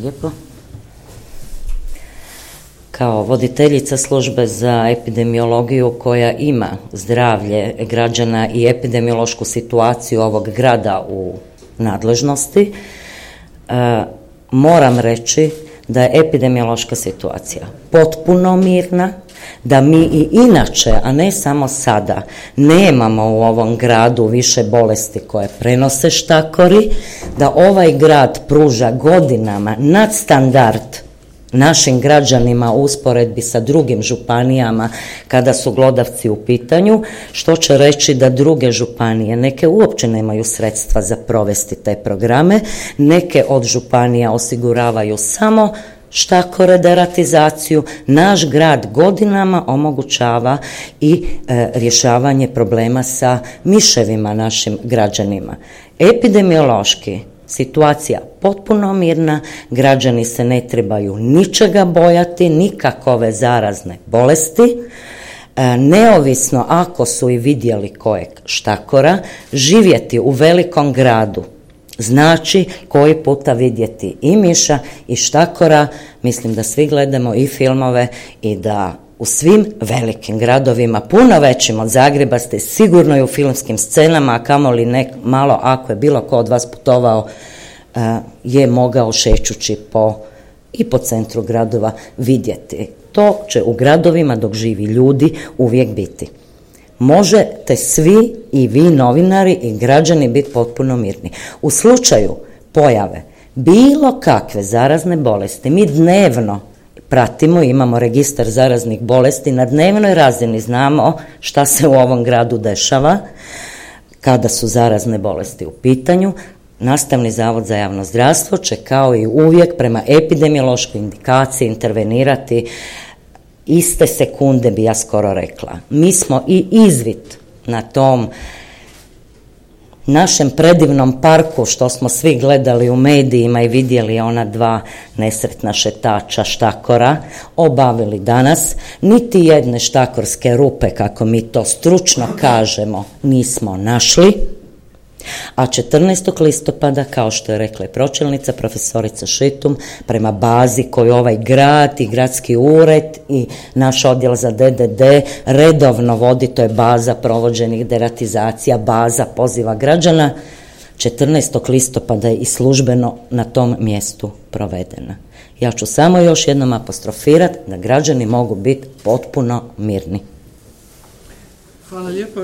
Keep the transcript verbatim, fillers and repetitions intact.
Lijepo. Kao voditeljica službe za epidemiologiju koja ima zdravlje građana i epidemiološku situaciju ovog grada u nadležnosti, e, moram reći da je epidemiološka situacija potpuno mirna, da mi i inače, a ne samo sada, nemamo u ovom gradu više bolesti koje prenose štakori, da ovaj grad pruža godinama nadstandard našim građanima u usporedbi sa drugim županijama kada su glodavci u pitanju, što će reći da druge županije, neke uopće nemaju sredstva za provesti te programe, neke od županija osiguravaju samo štakore, deratizaciju. Naš grad godinama omogućava i e, rješavanje problema sa miševima našim građanima. Epidemiološki situacija potpuno mirna, građani se ne trebaju ničega bojati, nikakove zarazne bolesti, e, neovisno ako su i vidjeli kojeg štakora, živjeti u velikom gradu znači koji puta vidjeti i miša i štakora. Mislim da svi gledamo i filmove i da u svim velikim gradovima, puno većim od Zagreba, ste sigurno i u filmskim scenama, a kamoli nek malo ako je bilo ko od vas putovao, je mogao šećući po i po centru gradova vidjeti. To će u gradovima dok živi ljudi uvijek biti. Možete svi i vi novinari i građani biti potpuno mirni. U slučaju pojave bilo kakve zarazne bolesti, mi dnevno pratimo, imamo registar zaraznih bolesti, na dnevnoj razini znamo šta se u ovom gradu dešava kada su zarazne bolesti u pitanju. Nastavni zavod za javno zdravstvo će kao i uvijek prema epidemiološkoj indikaciji intervenirati iste sekunde, bi ja skoro rekla. Mi smo i izvid na tom našem predivnom parku što smo svi gledali u medijima i vidjeli ona dva nesretna šetača štakora obavili danas. Niti jedne štakorske rupe, kako mi to stručno kažemo, nismo našli. A četrnaestog listopada, kao što je rekla i pročelnica profesorica Šitum, prema bazi koju ovaj grad i gradski ured i naš odjel za D D D redovno vodi, to je baza provođenih deratizacija, baza poziva građana, četrnaestog listopada je i službeno na tom mjestu provedena. Ja ću samo još jednom apostrofirati da građani mogu biti potpuno mirni. Hvala lijepo.